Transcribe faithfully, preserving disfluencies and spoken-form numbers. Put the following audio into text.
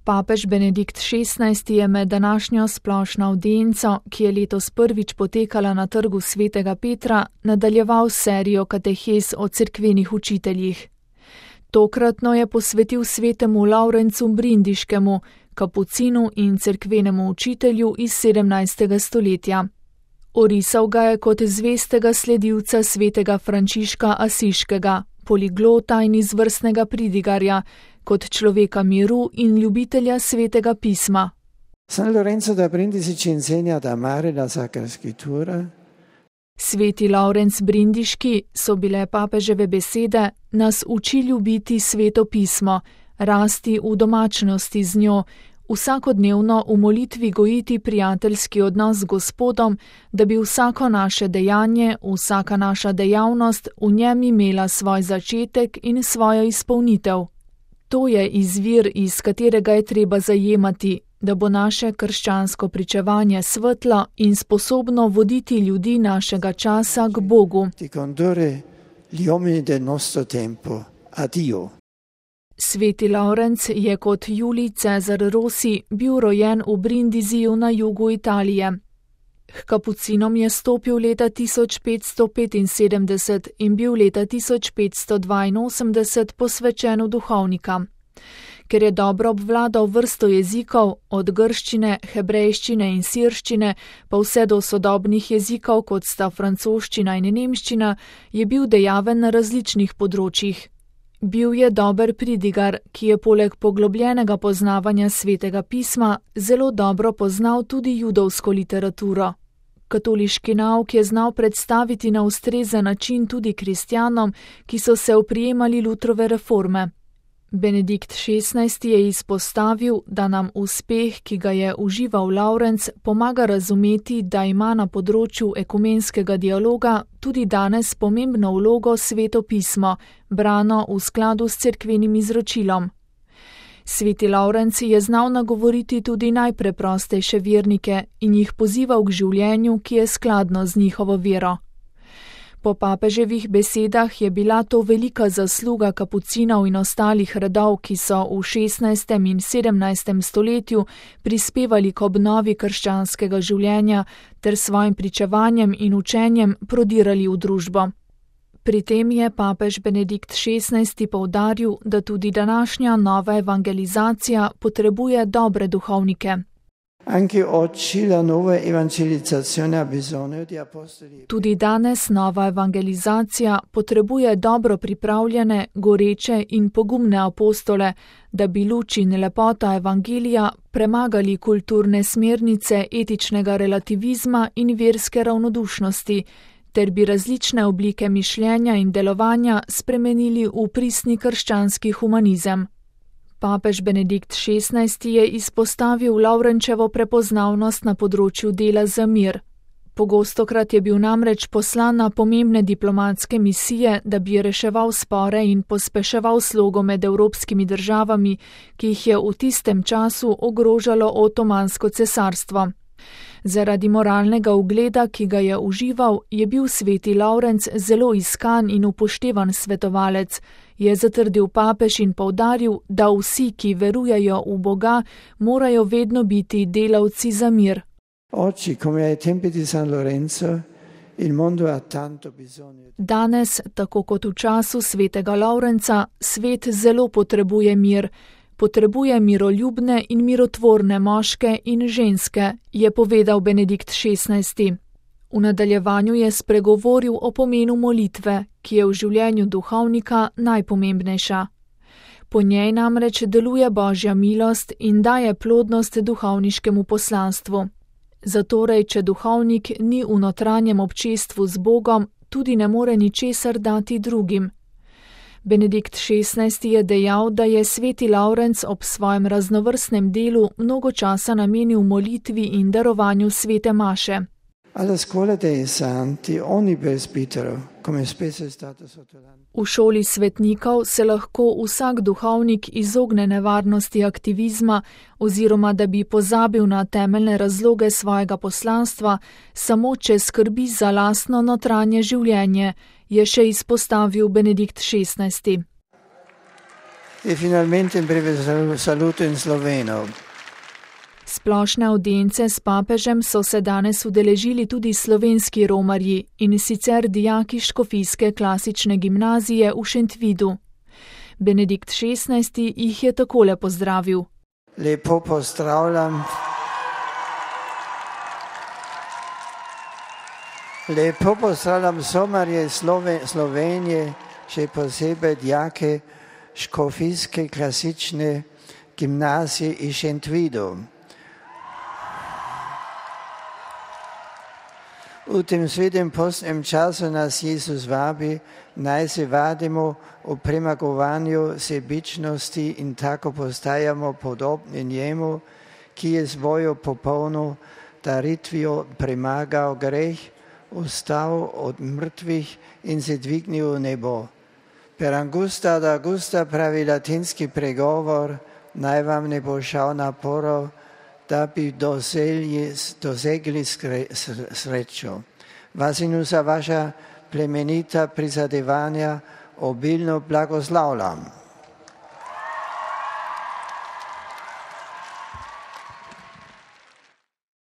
Papež Benedikt šestnajsti je med današnjo splošno avdienco, ki je letos prvič potekala na trgu svetega Petra, nadaljeval serijo katehez o cerkvenih učiteljih. Tokratno je posvetil svetemu Lavrencu Brindiškemu, kapucinu in cerkvenemu učitelju iz sedemnajstega stoletja. Orisal ga je kot zvestega sledilca svetega Frančiška Asiškega, poliglota in izvrstnega pridigarja, kot človeka miru in ljubitelja svetega pisma. San Lorenzo da Brindisi ci insegna ad amare la Sacra Scrittura. Sveti Lavrenc Brindiški, so bile papeževe besede, nas uči ljubiti sveto pismo, rasti v domačnosti z njo, vsakodnevno v molitvi gojiti prijateljski odnos z Gospodom, da bi vsako naše dejanje, vsaka naša dejavnost v njem imela svoj začetek in svojo izpolnitev. To je izvir, iz katerega je treba zajemati, da bo naše krščansko pričevanje svetlo in sposobno voditi ljudi našega časa k Bogu. Sveti Lavrenc je kot Julij Cezar Rossi bil rojen v Brindiziju na jugu Italije. H kapucinom je stopil leta tisoč petsto petinsedemdeset in bil leta tisoč petsto dvainosemdeset posvečen v duhovnika. Ker je dobro obvladal vrsto jezikov, od grščine, hebrejščine in sirščine, pa vse do sodobnih jezikov, kot sta francoščina in nemščina, je bil dejaven na različnih področjih. Bil je dober pridigar, ki je poleg poglobljenega poznavanja svetega pisma zelo dobro poznal tudi judovsko literaturo. Katoliški nauk je znal predstaviti na ustrezen način tudi kristjanom, ki so se oprijemali Lutrove reforme. Benedikt šestnajsti je izpostavil, da nam uspeh, ki ga je užival Lavrenc, pomaga razumeti, da ima na področju ekumenskega dialoga tudi danes pomembno vlogo sveto pismo, brano v skladu s cerkvenim izročilom. Sveti Lavrenc je znal nagovoriti tudi najpreprostejše vernike in jih pozival k življenju, ki je skladno z njihovo vero. Po papeževih besedah je bila to velika zasluga kapucinov in ostalih redov, ki so v šestnajstem in sedemnajstem stoletju prispevali k obnovi krščanskega življenja ter svojim pričevanjem in učenjem prodirali v družbo. Pri tem je papež Benedikt šestnajsti poudaril, da tudi današnja nova evangelizacija potrebuje dobre duhovnike. Tudi danes nova evangelizacija potrebuje dobro pripravljene, goreče in pogumne apostole, da bi luč in lepota evangelija premagali kulturne smernice etičnega relativizma in verske ravnodušnosti, ter bi različne oblike mišljenja in delovanja spremenili v pristni krščanski humanizem. Papež Benedikt šestnajsti je izpostavil Lavrenčevo prepoznavnost na področju dela za mir. Pogostokrat je bil namreč poslan na pomembne diplomatske misije, da bi reševal spore in pospeševal slogo med evropskimi državami, ki jih je v tistem času ogrožalo Otomansko cesarstvo. Zaradi moralnega ugleda, ki ga je užival, je bil sveti Lavrenc zelo iskan in upoštevan svetovalec, je zatrdil papež in poudaril, da vsi, ki verujejo v Boga, morajo vedno biti delavci za mir. Danes, tako kot v času svetega Lavrenca, svet zelo potrebuje mir. Potrebuje miroljubne in mirotvorne moške in ženske, je povedal Benedikt šestnajsti. V nadaljevanju je spregovoril o pomenu molitve, ki je v življenju duhovnika najpomembnejša. Po njej namreč deluje Božja milost in daje plodnost duhovniškemu poslanstvu. Zatorej, če duhovnik ni v notranjem občestvu z Bogom, tudi ne more ničesar dati drugim. Benedikt šestnajsti je dejal, da je sveti Lavrenc ob svojem raznovrstnem delu mnogo časa namenil molitvi in darovanju svete maše. V šoli svetnikov se lahko vsak duhovnik izogne nevarnosti aktivizma oziroma da bi pozabil na temeljne razloge svojega poslanstva, samo če skrbi za lastno notranje življenje, je še izpostavil Benedikt šestnajsti. E finalmente un breve saluto in sloveno. Splošne avdience s papežem so se danes udeležili tudi slovenski romarji, in sicer dijaki škofijske klasične gimnazije v Šentvidu. Benedikt šestnajsti jih je takole pozdravil. Lepo pozdravljam. Lepo pozdravljam somarje Slovenije, še posebej dijake škofijske klasične gimnazije iz Šentvidu. V tem svetem postnem času nas Jezus vabi, naj se vadimo v premagovanju sebičnosti in tako postajamo podobni njemu, ki je svojo popolno daritvijo premagal greh, vstal od mrtvih in se dvignil v nebo. Per angusta ad augusta pravi latinski pregovor, naj vam ne bo šal naporov, da bi dosegli, dosegli srečo. Vas in vsa vaša plemenita prizadevanja obilno blagoslavljam.